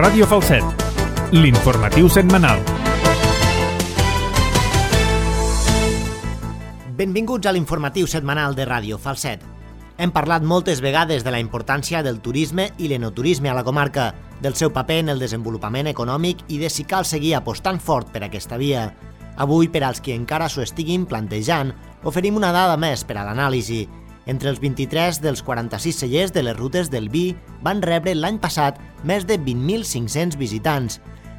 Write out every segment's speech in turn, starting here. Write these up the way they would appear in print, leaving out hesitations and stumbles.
Ràdio Falset, l'informatiu setmanal. Benvinguts a l'informatiu setmanal de Ràdio Falset. Hem parlat moltes vegades de la importància del turisme i l'enoturisme a la comarca, del seu paper en el desenvolupament econòmic i de si cal seguir apostant fort per aquesta via. Avui, per als qui encara s'ho estiguin plantejant, oferim una dada més per a l'anàlisi. Entre els 23 dels 46 cellers de les rutes del vi van rebre l'any passat més de 20.500 visitants.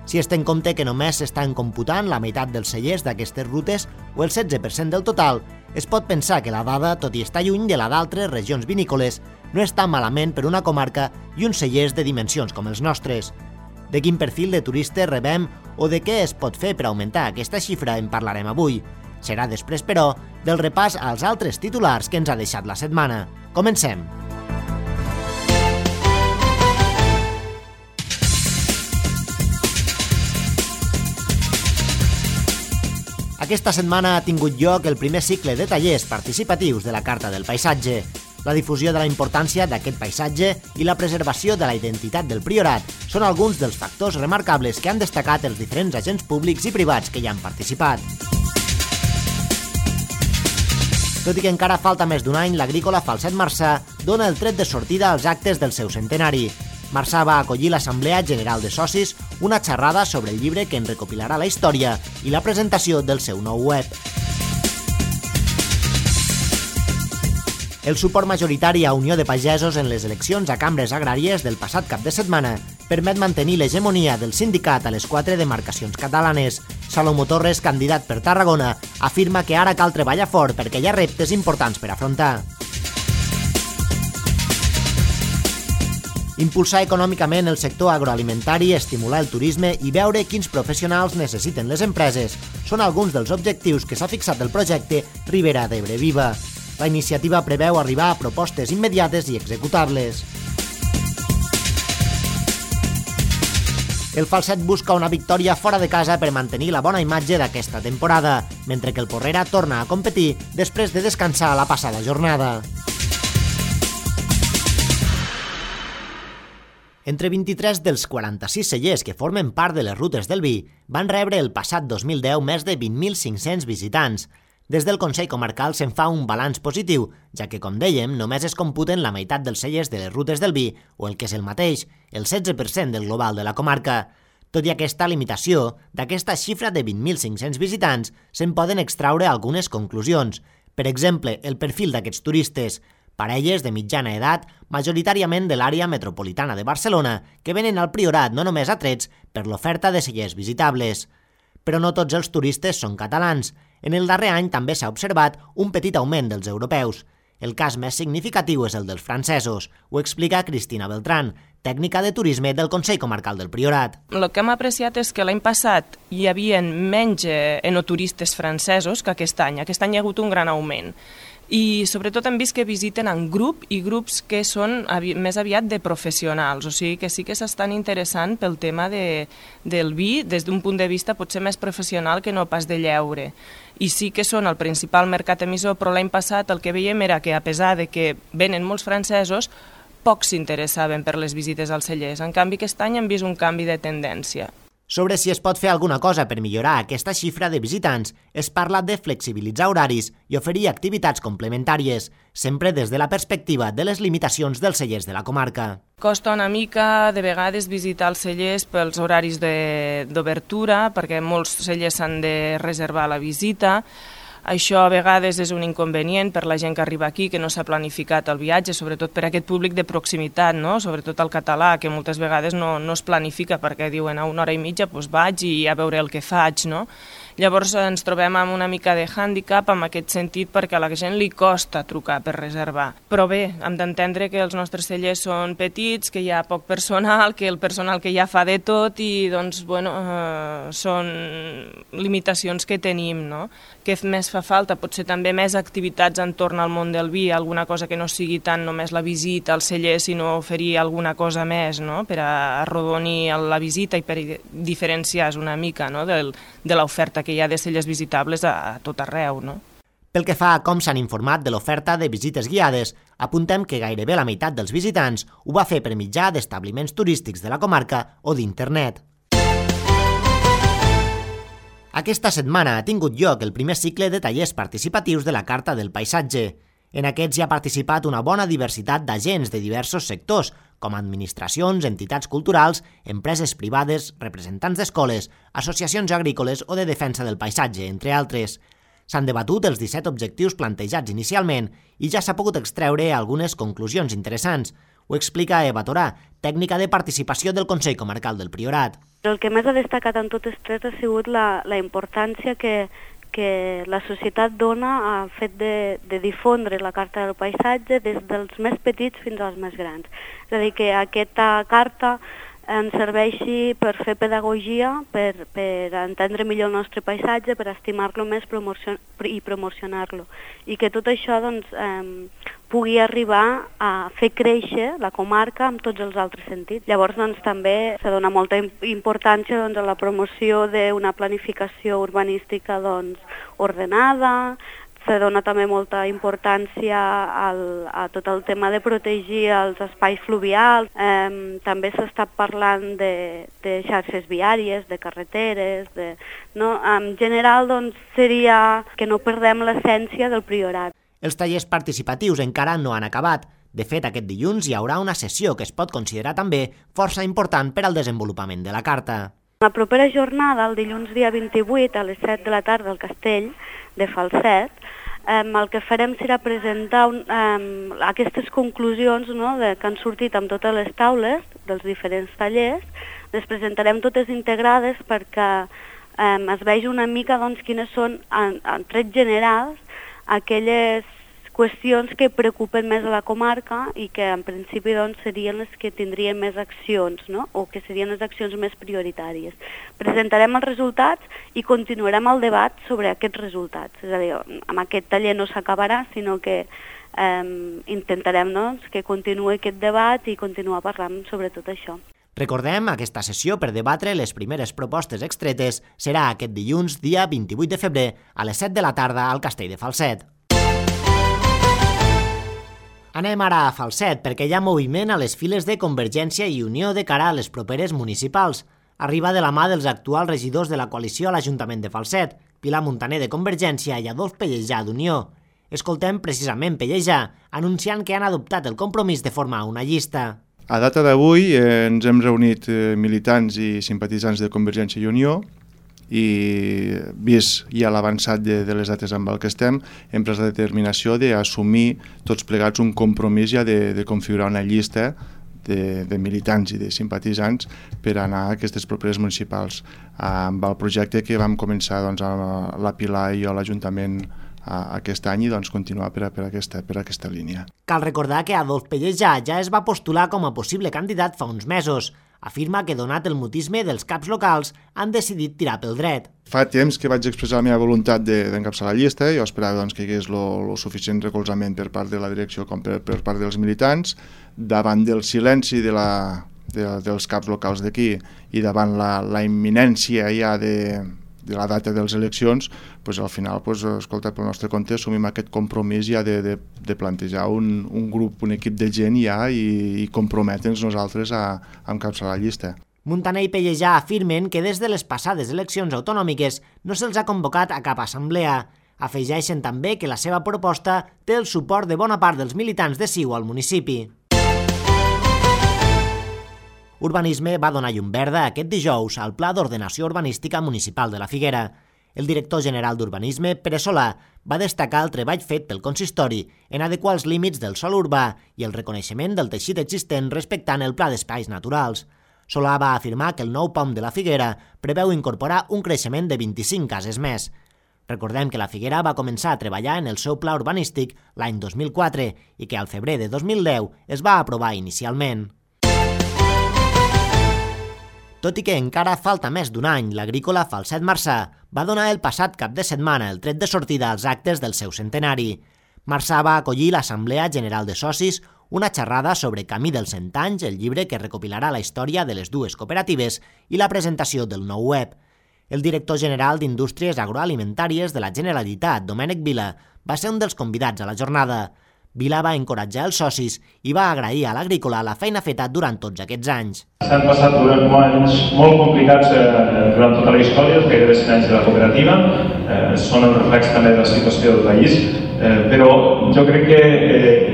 Si es té en compte que només s'estan computant la meitat dels cellers d'aquestes rutes o el 16% del total, es pot pensar que la dada, tot i estar lluny de la d'altres regions vinícoles, no està malament per una comarca i uns cellers de dimensions com els nostres. De quin perfil de turistes rebem o de què es pot fer per augmentar aquesta xifra en parlarem avui. Serà després, però, del repàs als altres titulars que ens ha deixat la setmana. Comencem! Aquesta setmana ha tingut lloc el primer cicle de tallers participatius de la Carta del Paisatge. La difusió de la importància d'aquest paisatge i la preservació de la identitat del Priorat són alguns dels factors remarcables que han destacat els diferents agents públics i privats que hi han participat. Tot i que encara falta més d'un any, l'Agrícola Falset Marçà dona el tret de sortida als actes del seu centenari. Marçà va acollir l'Assemblea General de Socis, una xerrada sobre el llibre que en recopilarà la història i la presentació del seu nou web. El suport majoritari a Unió de Pagesos en les eleccions a cambres agràries del passat cap de setmana permet mantenir l'hegemonia del sindicat a les 4 demarcacions catalanes. Salomó Torres, candidat per Tarragona, afirma que ara cal treballar fort perquè hi ha reptes importants per afrontar. Impulsar econòmicament el sector agroalimentari, estimular el turisme i veure quins professionals necessiten les empreses són alguns dels objectius que s'ha fixat el projecte Ribera d'Ebre Viva. La iniciativa preveu arribar a propostes immediates i executables. El Falset busca una victòria fora de casa per mantenir la bona imatge d'aquesta temporada, mentre que el Porrera torna a competir després de descansar la passada jornada. Entre 23 dels 46 cellers que formen part de les rutes del vi van rebre el passat 2010 més de 20.500 visitants. Des del Consell Comarcal se'n fa un balanç positiu, ja que, com dèiem, només es computen la meitat dels cellers de les rutes del vi, o el que és el mateix, el 16% del global de la comarca. Tot i aquesta limitació, d'aquesta xifra de 20.500 visitants, se'n poden extraure algunes conclusions. Per exemple, el perfil d'aquests turistes, parelles de mitjana edat, majoritàriament de l'àrea metropolitana de Barcelona, que venen al Priorat no només atrets per l'oferta de cellers visitables. Però no tots els turistes són catalans. En el darrer any també s'ha observat un petit augment dels europeus. El cas més significatiu és el dels francesos, ho explica Cristina Beltrán, tècnica de turisme del Consell Comarcal del Priorat. El que hem apreciat és que l'any passat hi havia menys enoturistes francesos que aquest any. Aquest any hi ha hagut un gran augment. I sobretot hem vist que visiten en grup i grups que són més aviat de professionals, o sigui que sí que s'estan interessant pel tema del vi des d'un punt de vista potser més professional que no pas de lleure. I sí que són el principal mercat emissor, però l'any passat el que veiem era que a pesar de que venen molts francesos, pocs s'interessaven per les visites als cellers. En canvi, aquest any hem vist un canvi de tendència. Sobre si es pot fer alguna cosa per millorar aquesta xifra de visitants, es parla de flexibilitzar horaris i oferir activitats complementàries, sempre des de la perspectiva de les limitacions dels cellers de la comarca. Costa una mica, de vegades, visitar els cellers pels horaris d'obertura, perquè molts cellers s'han de reservar la visita. Això a vegades és un inconvenient per la gent que arriba aquí, que no s'ha planificat el viatge, sobretot per aquest públic de proximitat, no? Sobretot el català, que moltes vegades no es planifica perquè diuen a 1 hora i mitja vaig i a veure el que faig, no? Llavors ens trobem amb una mica de hàndicap en aquest sentit perquè a la gent li costa trucar per reservar. Però bé, hem d'entendre que els nostres cellers són petits, que hi ha poc personal, que el personal que ja fa de tot i doncs, bueno, són limitacions que tenim, no? Què més fa falta? Potser també més activitats entorn al món del vi, alguna cosa que no sigui tant només la visita al celler, sinó oferir alguna cosa més, no? Per arrodonir la visita i per diferenciar una mica, no? De l'oferta que hi ha de cellers visitables a tot arreu, no? Pel que fa a com s'han informat de l'oferta de visites guiades, apuntem que gairebé la meitat dels visitants ho va fer per mitjà d'establiments turístics de la comarca o d'internet. Aquesta setmana ha tingut lloc el primer cicle de tallers participatius de la Carta del Paisatge. En aquests hi ha participat una bona diversitat d'agents de diversos sectors, com administracions, entitats culturals, empreses privades, representants d'escoles, associacions agrícoles o de defensa del paisatge, entre altres. S'han debatut els 17 objectius plantejats inicialment i ja s'ha pogut extreure algunes conclusions interessants. Ho explica Eva Torà, tècnica de participació del Consell Comarcal del Priorat. El que més ha destacat en totes tres ha sigut la importància que la societat dona al fet de difondre la Carta del Paisatge des dels més petits fins als més grans. És a dir, que aquesta carta ens serveixi per fer pedagogia, per entendre millor el nostre paisatge, per estimar-lo més i promocionar-lo. I que tot això pugui arribar a fer créixer la comarca amb tots els altres sentits. Llavors també se dona molta importància a la promoció d'una planificació urbanística ordenada. Se dona també molta importància a tot el tema de protegir els espais fluvials. També s'està parlant de xarxes viàries, de carreteres. En general, seria que no perdem l'essència del Priorat. Els tallers participatius encara no han acabat. De fet, aquest dilluns hi haurà una sessió que es pot considerar també força important per al desenvolupament de la Carta. La propera jornada, el dilluns dia 28 a les 7 de la tarda al Castell de Falset, el que farem serà presentar aquestes conclusions que han sortit amb totes les taules dels diferents tallers. Les presentarem totes integrades perquè es vegi una mica quines són, en trets generals, aquelles qüestions que preocupen més a la comarca i que en principi serien les que tindrien més accions, o que serien les accions més prioritàries. Presentarem els resultats i continuarem el debat sobre aquests resultats. És a dir, amb aquest taller no s'acabarà, sinó que intentarem que continuï aquest debat i continuar parlant sobre tot això. Recordem, aquesta sessió per debatre les primeres propostes extretes serà aquest dilluns, dia 28 de febrer, a les 7 de la tarda al Castell de Falset. Anem ara a Falset, perquè hi ha moviment a les files de Convergència i Unió de cara a les properes municipals. Arriba de la mà dels actuals regidors de la coalició a l'Ajuntament de Falset, Pilar Muntaner de Convergència i Adolf Pellejà d'Unió. Escoltem precisament Pellejà, anunciant que han adoptat el compromís de formar una llista. A data d'avui ens hem reunit militants i simpatitzants de Convergència i Unió i vist ja l'avançat de les dates amb el que estem, hem pres la determinació d'assumir tots plegats un compromís ja de configurar una llista de militants i de simpatitzants per anar a aquestes properes municipals. Amb el projecte que vam començar la Pilar i jo a l'Ajuntament aquest any i continuar per aquesta línia. Cal recordar que Adolf Pellejà ja es va postular com a possible candidat fa uns mesos. Afirma que, donat el mutisme dels caps locals, han decidit tirar pel dret. Fa temps que vaig expressar la meva voluntat d'encapçalar la llista. Jo esperava que hi hagués el suficient recolzament per part de la direcció com per part dels militants. Davant del silenci dels caps locals d'aquí i davant la imminència ja de la data de les eleccions, al final, escolta, pel nostre compte assumim aquest compromís ja de plantejar un grup, un equip de gent ja i comprometre'ns nosaltres a encapçalar la llista. Muntaner i Pellejà afirmen que des de les passades eleccions autonòmiques no se'ls ha convocat a cap assemblea. Afegeixen també que la seva proposta té el suport de bona part dels militants de CiU al municipi. Urbanisme va donar llum verda aquest dijous al Pla d'Ordenació Urbanística Municipal de la Figuera. El director general d'Urbanisme, Pere Solà, va destacar el treball fet pel consistori en adequar els límits del sòl urbà i el reconeixement del teixit existent respectant el Pla d'Espais Naturals. Solà va afirmar que el nou POM de la Figuera preveu incorporar un creixement de 25 cases més. Recordem que la Figuera va començar a treballar en el seu pla urbanístic l'any 2004 i que al febrer de 2010 es va aprovar inicialment. Tot i que encara falta més d'un any, l'agrícola Falset Marçà va donar el passat cap de setmana el tret de sortida als actes del seu centenari. Marçà va acollir l'Assemblea General de Socis, una xerrada sobre Camí dels 100 anys, el llibre que recopilarà la història de les dues cooperatives, i la presentació del nou web. El director general d'Indústries Agroalimentàries de la Generalitat, Domènec Vila, va ser un dels convidats a la jornada. Vila va encoratjar els socis i va agrair a l'agrícola la feina feta durant tots aquests anys. S'han passat durant anys molt complicats durant tota la història, els gairebé 100 anys de la cooperativa, són el reflex també de la situació del país, però jo crec que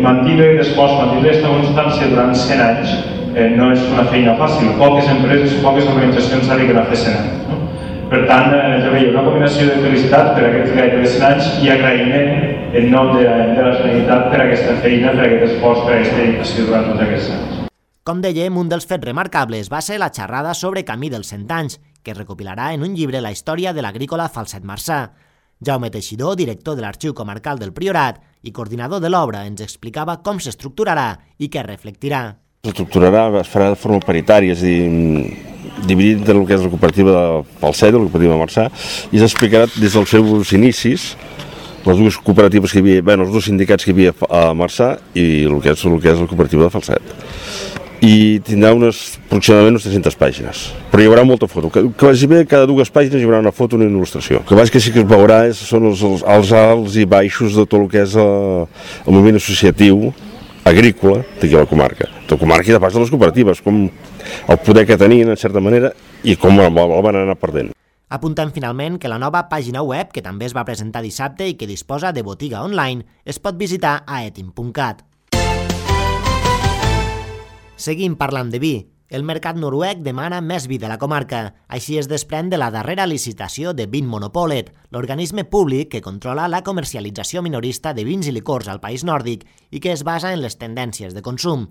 mantenir l'esforç, mantenir aquesta constància durant 100 anys no és una feina fàcil. Poques empreses, poques organitzacions s'arriben a fer 100 anys. Per tant, jo veia una combinació de felicitat per aquests gairebé 100 anys i agraïment en nom de la Generalitat per aquesta feina, per aquest esforç, per aquesta dedicació durant tots aquests anys. Com dèiem, un dels fets remarcables va ser la xerrada sobre Camí dels 100 anys, que recopilarà en un llibre la història de l'agrícola Falset Marçà. Jaume Teixidor, director de l'Arxiu Comarcal del Priorat i coordinador de l'obra, ens explicava com s'estructurarà i què reflectirà. S'estructurarà, es farà de forma paritària, és a dir, dividit del que és la cooperativa de Falset, la cooperativa de Marçà, i s'explicarà des dels seus inicis, les dues cooperatives que hi havia, els dos sindicats que hi havia a Marçà i el que és la cooperativa de Falset. I tindrà aproximadament unes 300 pàgines, però hi haurà molta foto, que vagi bé, cada dues pàgines hi haurà una foto i una il·lustració. El que vaig que sí que es veurà són els alts i baixos de tot el que és el moviment associatiu agrícola d'aquí a la comarca. De la comarca i de pas de les cooperatives, com el poder que tenien, en certa manera, i com el van anar perdent. Apuntem finalment que la nova pàgina web, que també es va presentar dissabte i que disposa de botiga online, es pot visitar a etim.cat. Seguim parlant de vi. El mercat noruec demana més vi de la comarca. Així es desprèn de la darrera licitació de Vinmonopolet, l'organisme públic que controla la comercialització minorista de vins i licors al país nòrdic i que es basa en les tendències de consum.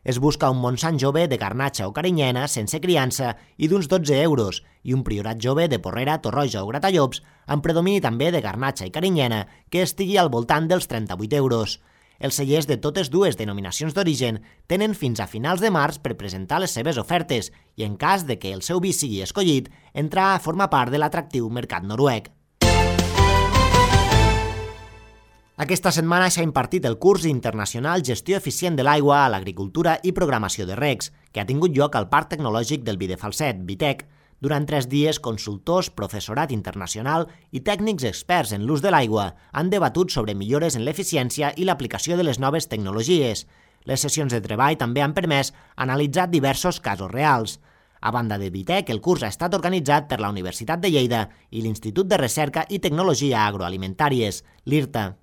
Es busca un Montsant jove de Garnatxa o Carinyena sense criança i d'uns 12 euros i un Priorat jove de Porrera, Torroja o Gratallops amb predomini també de Garnatxa i Carinyena que estigui al voltant dels 38 euros. Els cellers de totes dues denominacions d'origen tenen fins a finals de març per presentar les seves ofertes i, en cas de que el seu vi sigui escollit, entrar a formar part de l'atractiu mercat noruec. Aquesta setmana s'ha impartit el curs internacional Gestió eficient de l'aigua a l'agricultura i programació de regs, que ha tingut lloc al Parc Tecnològic del Vi de Falset, Vitec. Durant 3 dies, consultors, professorat internacional i tècnics experts en l'ús de l'aigua han debatut sobre millores en l'eficiència i l'aplicació de les noves tecnologies. Les sessions de treball també han permès analitzar diversos casos reals. A banda de Vitec, el curs ha estat organitzat per la Universitat de Lleida i l'Institut de Recerca i Tecnologia Agroalimentàries, l'IRTA.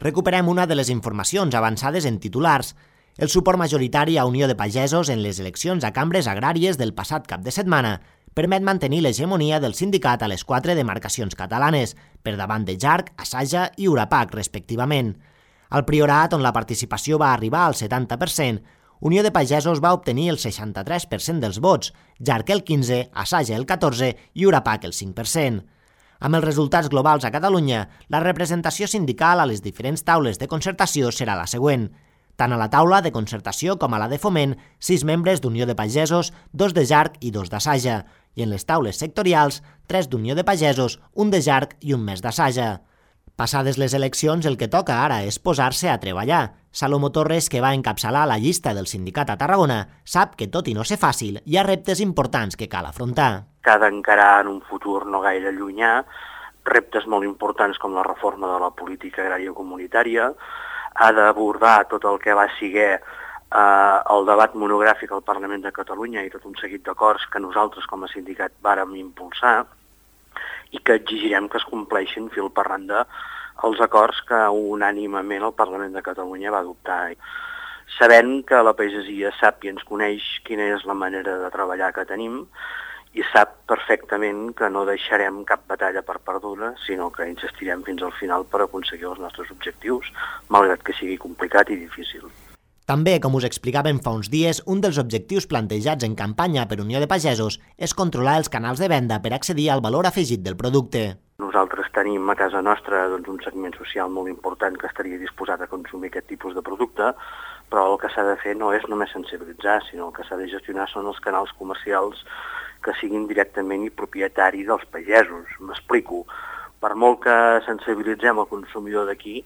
Recuperem una de les informacions avançades en titulars. El suport majoritari a Unió de Pagesos en les eleccions a cambres agràries del passat cap de setmana permet mantenir l'hegemonia del sindicat a les 4 demarcacions catalanes, per davant de Jarc, Asaja i Urapac, respectivament. Al Priorat, on la participació va arribar al 70%, Unió de Pagesos va obtenir el 63% dels vots, Jarc el 15%, Asaja el 14% i Urapac el 5%. Amb els resultats globals a Catalunya, la representació sindical a les diferents taules de concertació serà la següent. Tant a la taula de concertació com a la de foment, 6 membres d'Unió de Pagesos, 2 de Jarc i 2 d'Asaja, i en les taules sectorials, 3 d'Unió de Pagesos, 1 de Jarc i 1 més d'Asaja. Passades les eleccions, el que toca ara és posar-se a treballar. Salomó Torres, que va encapçalar la llista del sindicat a Tarragona, sap que tot i no ser fàcil, hi ha reptes importants que cal afrontar. Que ha d'encarar en un futur no gaire llunyà reptes molt importants com la reforma de la política agrària comunitària, ha d'abordar tot el que va ser el debat monogràfic al Parlament de Catalunya i tot un seguit d'acords que nosaltres com a sindicat vàrem impulsar i que exigirem que es compleixin fil per randa els acords que unànimement el Parlament de Catalunya va adoptar. Sabent que la pagesia sap i ens coneix quina és la manera de treballar que tenim i sap perfectament que no deixarem cap batalla per perduda, sinó que insistirem fins al final per aconseguir els nostres objectius, malgrat que sigui complicat i difícil. També, com us explicàvem fa uns dies, un dels objectius plantejats en campanya per Unió de Pagesos és controlar els canals de venda per accedir al valor afegit del producte. Nosaltres tenim a casa nostra un segment social molt important que estaria disposat a consumir aquest tipus de producte, però el que s'ha de fer no és només sensibilitzar, sinó el que s'ha de gestionar són els canals comercials que siguin directament i propietari dels pagesos. M'explico. Per molt que sensibilitzem el consumidor d'aquí,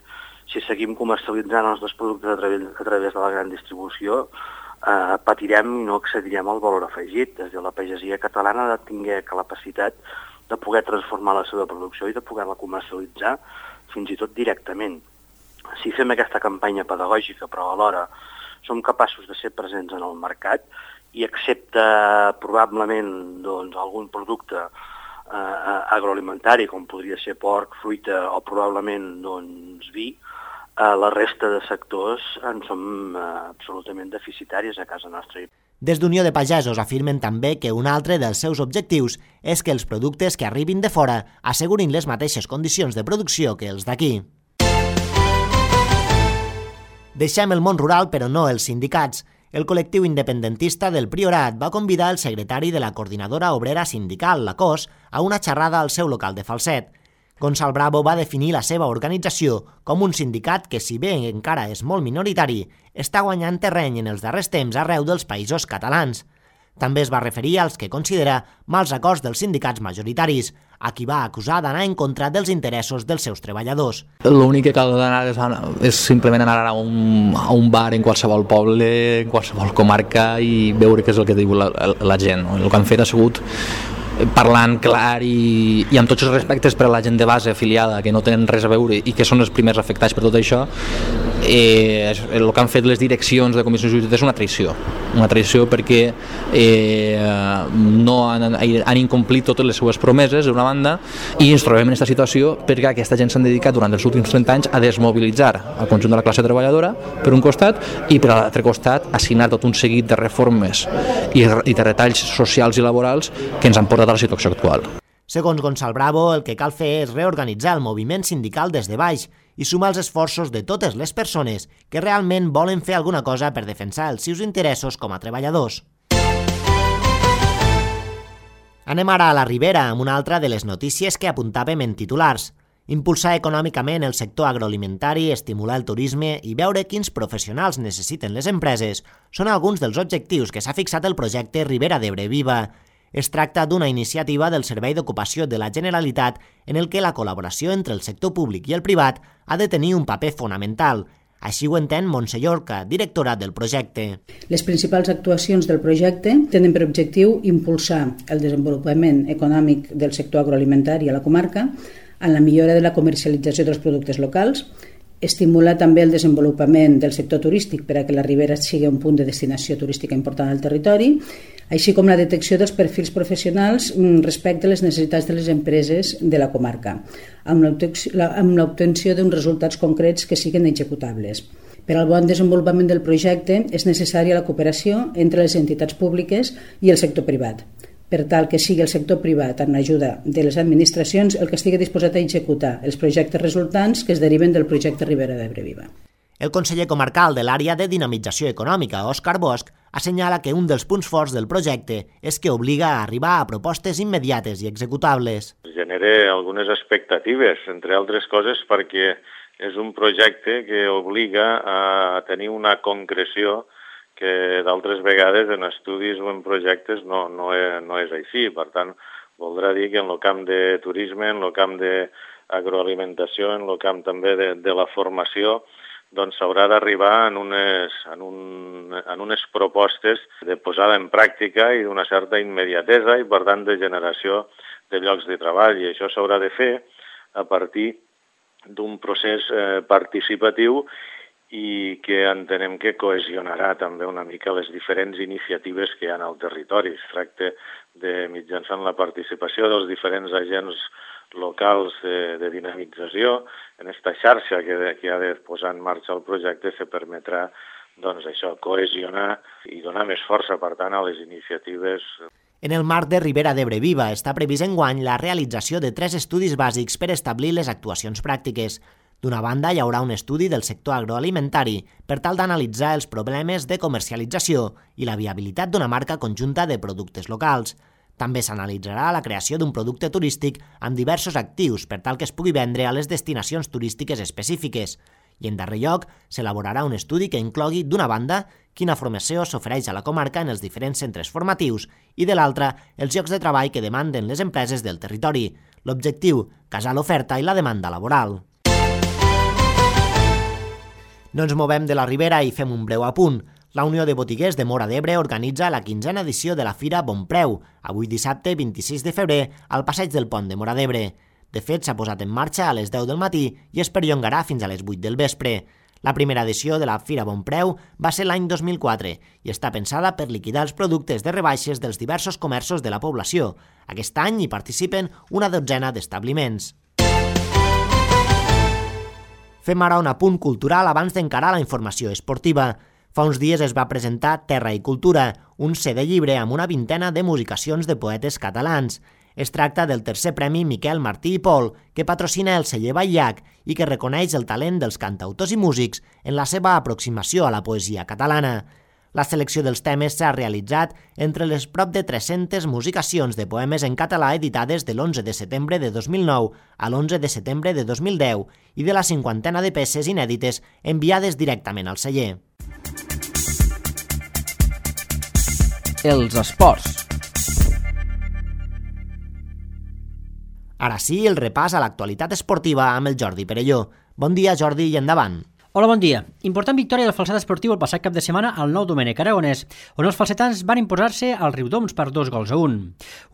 si seguim comercialitzant els nostres productes a través de la gran distribució, patirem i no accedirem al valor afegit. Des de la pagesia catalana ha de tenir capacitat de poder transformar la seva producció i de poder-la comercialitzar fins i tot directament. Si fem aquesta campanya pedagògica, però alhora som capaços de ser presents en el mercat i excepte probablement algun producte agroalimentari, com podria ser porc, fruita o probablement vi, la resta de sectors en som absolutament deficitaris a casa nostra. Des d'Unió de Pagesos afirmen també que un altre dels seus objectius és que els productes que arribin de fora assegurin les mateixes condicions de producció que els d'aquí. Deixem el món rural, però no els sindicats. El col·lectiu independentista del Priorat va convidar el secretari de la Coordinadora Obrera Sindical, la COS, a una xerrada al seu local de Falset. Gonçal Bravo va definir la seva organització com un sindicat que, si bé encara és molt minoritari, està guanyant terreny en els darrers temps arreu dels països catalans. També es va referir als que considera mals acords dels sindicats majoritaris, a qui va acusar d'anar en contra dels interessos dels seus treballadors. L'únic que cal anar és simplement anar a un bar en qualsevol poble, en qualsevol comarca i veure què és el que diu la gent. El que han fet ha sigut parlant clar i amb tots els respectes per a la gent de base afiliada que no tenen res a veure i que són els primers afectats per tot això. El que han fet les direccions de comissions jurídiques és una traïció perquè no han incomplit totes les seues promeses d'una banda i ens trobem en aquesta situació perquè aquesta gent s'han dedicat durant els últims 30 anys a desmobilitzar el conjunt de la classe treballadora per un costat i per l'altre costat a signar tot un seguit de reformes i de retalls socials i laborals que ens han portat a la situació actual. Segons Gonçal Bravo, el que cal fer és reorganitzar el moviment sindical des de baix i sumar els esforços de totes les persones que realment volen fer alguna cosa per defensar els seus interessos com a treballadors. Anem ara a la Ribera amb una altra de les notícies que apuntàvem en titulars. Impulsar econòmicament el sector agroalimentari, estimular el turisme i veure quins professionals necessiten les empreses són alguns dels objectius que s'ha fixat el projecte Ribera d'Ebre Viva. Es tracta d'una iniciativa del Servei d'Ocupació de la Generalitat en el que la col·laboració entre el sector públic i el privat ha de tenir un paper fonamental. Així ho entén Montse Llorca, directora del projecte. Les principals actuacions del projecte tenen per objectiu impulsar el desenvolupament econòmic del sector agroalimentari a la comarca en la millora de la comercialització dels productes locals, estimular també el desenvolupament del sector turístic per a que la Ribera sigui un punt de destinació turística important al territori, així com la detecció dels perfils professionals respecte a les necessitats de les empreses de la comarca, amb l'obtenció d'uns resultats concrets que siguin executables. Per al bon desenvolupament del projecte és necessària la cooperació entre les entitats públiques i el sector privat, per tal que sigui el sector privat, amb l'ajuda de les administracions, el que estigui disposat a executar els projectes resultants que es deriven del projecte Ribera d'Ebre Viva. El conseller comarcal de l'àrea de dinamització econòmica, Òscar Bosch, assenyala que un dels punts forts del projecte és que obliga a arribar a propostes immediates i executables. Genera algunes expectatives, entre altres coses perquè és un projecte que obliga a tenir una concreció que d'altres vegades en estudis o en projectes no és així. Per tant, voldrà dir que en el camp de turisme, en el camp d'agroalimentació, en el camp també de la formació, doncs s'haurà d'arribar en unes propostes de posada en pràctica i d'una certa immediatesa i, per tant, de generació de llocs de treball. I això s'haurà de fer a partir d'un procés participatiu i que entenem que cohesionarà també una mica les diferents iniciatives que hi ha al territori. Es tracta de, mitjançant la participació dels diferents agents locals de dinamització, en aquesta xarxa que ha de posar en marxa el projecte se permetrà cohesionar i donar més força, per tant, a les iniciatives. En el marc de Ribera d'Ebre Viva està previst enguany la realització de 3 estudis bàsics per establir les actuacions pràctiques. D'una banda, hi haurà un estudi del sector agroalimentari per tal d'analitzar els problemes de comercialització i la viabilitat d'una marca conjunta de productes locals. També s'analitzarà la creació d'un producte turístic amb diversos actius per tal que es pugui vendre a les destinacions turístiques específiques. I en darrer lloc, s'elaborarà un estudi que inclogui, d'una banda, quina formació s'ofereix a la comarca en els diferents centres formatius i, de l'altra, els llocs de treball que demanden les empreses del territori. L'objectiu, casar l'oferta i la demanda laboral. No ens movem de la Ribera i fem un breu apunt. La Unió de Botiguers de Móra d'Ebre organitza la 15a edició de la Fira Bon Preu, avui dissabte 26 de febrer, al passeig del Pont de Móra d'Ebre. De fet, s'ha posat en marxa a les 10 del matí i es perllongarà fins a les 8 del vespre. La primera edició de la Fira Bon Preu va ser l'any 2004 i està pensada per liquidar els productes de rebaixes dels diversos comerços de la població. Aquest any hi participen una dotzena d'establiments. Fem ara un apunt cultural abans d'encarar la informació esportiva. Fa uns dies es va presentar Terra i Cultura, un CD llibre amb una vintena de musicacions de poetes catalans. Es tracta del tercer premi Miquel Martí i Pol, que patrocina el celler Batllac i que reconeix el talent dels cantautors i músics en la seva aproximació a la poesia catalana. La selecció dels temes s'ha realitzat entre les prop de 300 musicacions de poemes en català editades de l'11 de setembre de 2009 a l'11 de setembre de 2010 i de la 50ena de peces inèdites enviades directament al celler. Els esports. Ara sí, el repàs a l'actualitat esportiva amb el Jordi Perelló. Bon dia, Jordi, i endavant. Hola, bon dia. Important victòria del Falset Esportiu el passat cap de setmana al Nou Domènec Aragonès, on els falsetans van imposar-se al Riudoms per 2-1.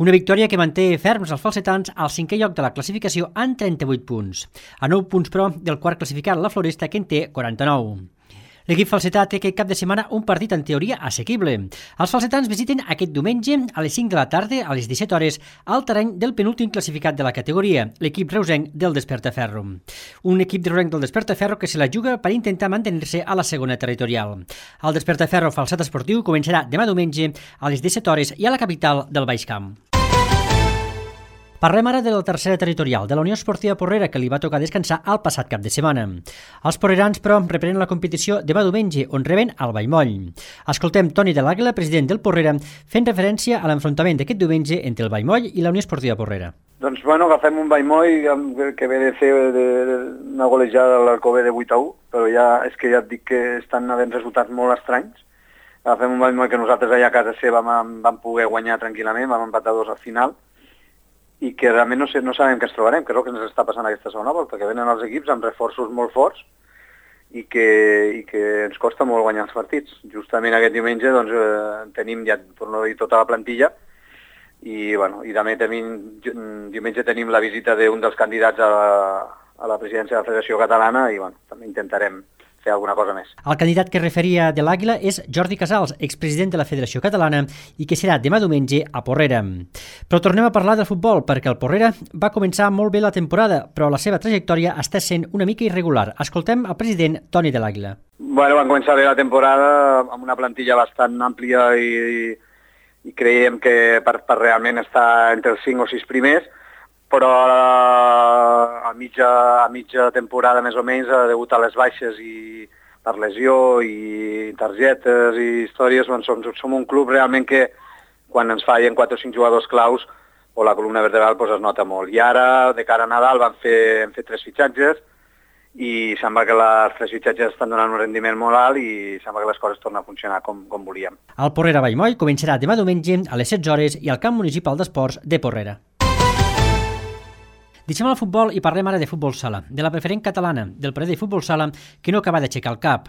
Una victòria que manté ferms els falsetans al 5è lloc de la classificació amb 38 punts. A 9 punts, però, del quart classificat, la Floresta, que en té 49. L'equip falsetà té aquest cap de setmana un partit en teoria assequible. Els falsetans visiten aquest diumenge a les 5 de la tarda, a les 17 hores, al terreny del penúltim classificat de la categoria, l'equip reusenc del Despertaferro. Un equip reusenc del Despertaferro que se la juga per intentar mantenir-se a la segona territorial. El Despertaferro Falset Esportiu començarà demà diumenge a les 17 hores i a la capital del Baix Camp. Parlem ara de la tercera territorial, de la Unió Esportiva Porrera, que li va tocar descansar el passat cap de setmana. Els porrerans, però, reprenen la competició demà diumenge, on reben el Vallmoll. Escoltem Toni de l'Àguila, president del Porrera, fent referència a l'enfrontament d'aquest diumenge entre el Vallmoll i la Unió Esportiva Porrera. Doncs, agafem un Vallmoll que ve de fer una golejada a l'Alcover de 8-1, però és que ja et dic que estan havent resultats molt estranys. Agafem un Vallmoll que nosaltres allà a casa seva vam poder guanyar tranquil·lament, vam empatar 2 al final, i que realment no sabem què ens trobarem, que és el que ens està passant aquesta segona volta, que venen els equips amb reforços molt forts i que ens costa molt guanyar els partits. Justament aquest diumenge tenim ja, per no dir tota la plantilla, i també diumenge tenim la visita d'un dels candidats a la presidència de la Federació Catalana i també intentarem fer alguna cosa més. El candidat que referia de l'Àguila és Jordi Casals, expresident de la Federació Catalana i que serà demà diumenge a Porrera. Però tornem a parlar del futbol, perquè el Porrera va començar molt bé la temporada, però la seva trajectòria està sent una mica irregular. Escoltem el president Toni de l'Àguila. Van començar bé la temporada amb una plantilla bastant àmplia i creiem que per realment estar entre els 5 o 6 primers, però a mitja temporada més o menys, degut a les baixes i per lesió i targetes i històries, som un club realment que quan ens fallen 4 o 5 jugadors claus o la columna vertebral es nota molt. I ara, de cara a Nadal, hem fet 3 fitxatges i sembla que els 3 fitxatges estan donant un rendiment molt alt i sembla que les coses tornen a funcionar com volíem. El Porrera Vallmoll començarà demà diumenge a les 16 hores i al Camp Municipal d'Esports de Porrera. Deixem el futbol i parlem ara de futbol sala, de la preferent catalana, del Pradell Futbol Sala, que no acaba d'aixecar el cap.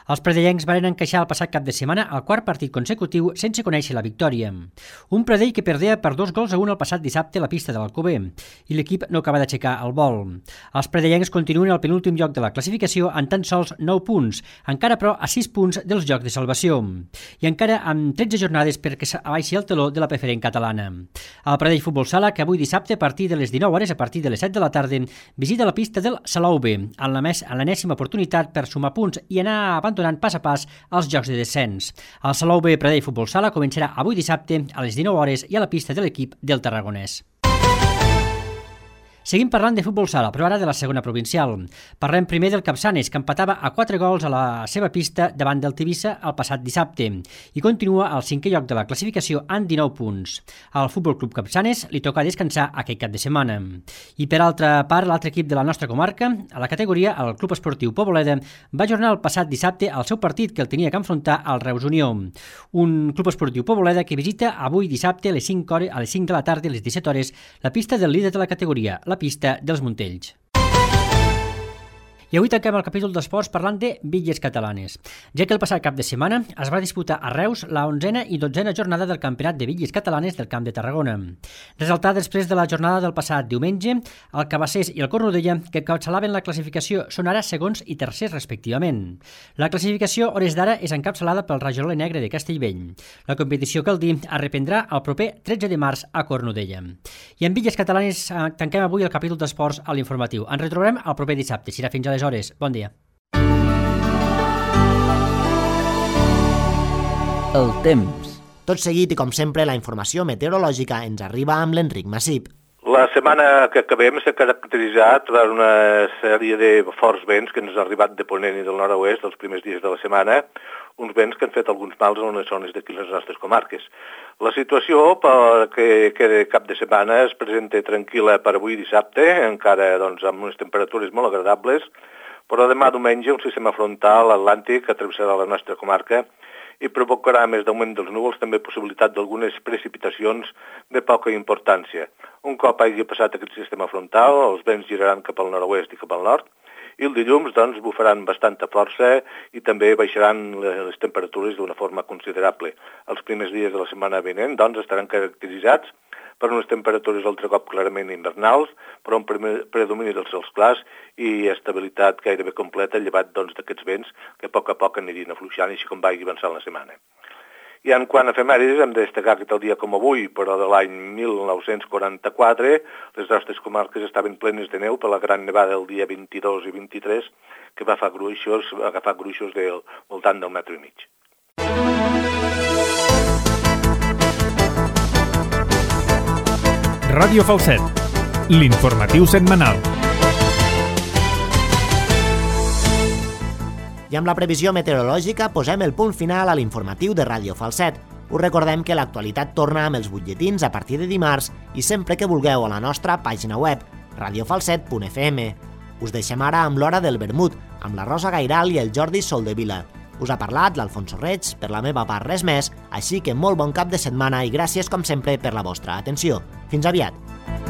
Els pradellencs varen encaixar el passat cap de setmana el quart partit consecutiu sense conèixer la victòria. Un Pradell que perdea per 2-1 el passat dissabte a la pista de l'Alcover, i l'equip no acaba d'aixecar el vol. Els pradellencs continuen al penúltim lloc de la classificació amb tan sols 9 punts, encara però a 6 punts dels llocs de salvació, i encara amb 13 jornades perquè abaixi el teló de la preferent catalana. El Pradell Futbol Sala, que avui dissabte a partir de les 19 hores, a partir de les 7 de la tarda, visita la pista del Salou B, en l'enèsima oportunitat per sumar punts i anar abandonant pas a pas els jocs de descens. El Salou B Pradell Futbol Sala començarà avui dissabte a les 19 hores i a la pista de l'equip del Tarragonès. Seguim parlant de futbol sala, però ara de la segona provincial. Parlem primer del Capçanes, que empatava a 4 gols a la seva pista davant del Tivissa el passat dissabte i continua al 5è lloc de la classificació amb 19 punts. Al Futbol Club Capçanes li toca descansar aquest cap de setmana. I per altra part, l'altre equip de la nostra comarca, a la categoria, el Club Esportiu Poboleda, va ajornar el passat dissabte el seu partit que el tenia que enfrontar al Reus Unió. Un Club Esportiu Poboleda que visita avui dissabte a les 5 de la tarda, a les 17 hores, la pista del líder de la categoria, la pista dels Montells. I avui tanquem el capítol d'esports parlant de bitlles catalanes, ja que el passat cap de setmana es va disputar a Reus la 11a i 12a jornada del Campionat de Bitlles Catalanes del Camp de Tarragona. Resultat després de la jornada del passat diumenge, el Cabassers i el Cornudella, que encapçalaven la classificació, són ara segons i tercers respectivament. La classificació, hores d'ara, és encapçalada pel Rajola Negre de Castellvell. La competició, cal dir, es reprendrà el proper 13 de març a Cornudella. I en bitlles catalanes tanquem avui el capítol d'esports a l'informatiu. Ens retrobarem el proper dissabte. Serà fins aleshores. Bon dia. El temps. Tot seguit i com sempre la informació meteorològica ens arriba amb l'Enric Massip. La setmana que acabem s'ha caracteritzat per una sèrie de forts vents que ens han arribat de ponent i del nord-oest els primers dies de la setmana, uns vents que han fet alguns mals en unes zones d'aquí les nostres comarques. La situació perquè cap de setmana es presenta tranquil·la per avui dissabte, encara amb unes temperatures molt agradables, però demà diumenge un sistema frontal atlàntic atravessarà la nostra comarca i provocarà, a més d'augment dels núvols, també possibilitat d'algunes precipitacions de poca importància. Un cop hagi passat aquest sistema frontal, els vents giraran cap al nord-oest i cap al nord, i el dilluns bufaran bastanta força i també baixaran les temperatures d'una forma considerable. Els primers dies de la setmana vinent estaran caracteritzats per unes temperatures altre cop clarament invernals, però un predomini dels cels clars i estabilitat gairebé completa, llevat d'aquests vents que a poc anirien afluixant així com vagi avançant la setmana. I en quant a efemèrides, hem de destacar que tal dia com avui, però de l'any 1944, les nostres comarques estaven plenes de neu per la gran nevada del dia 22 i 23, que va agafar gruixos del voltant del 1,5 metre. Ràdio Falset, l'informatiu setmanal. I amb la previsió meteorològica posem el punt final a l'informatiu de Ràdio Falset. Us recordem que l'actualitat torna amb els butlletins a partir de dimarts i sempre que vulgueu a la nostra pàgina web, radiofalset.fm. Us deixem ara amb l'hora del vermut, amb la Rosa Gairal i el Jordi Soldevila. Us ha parlat l'Alfonso Reig, per la meva part res més, així que molt bon cap de setmana i gràcies com sempre per la vostra atenció. Fins aviat!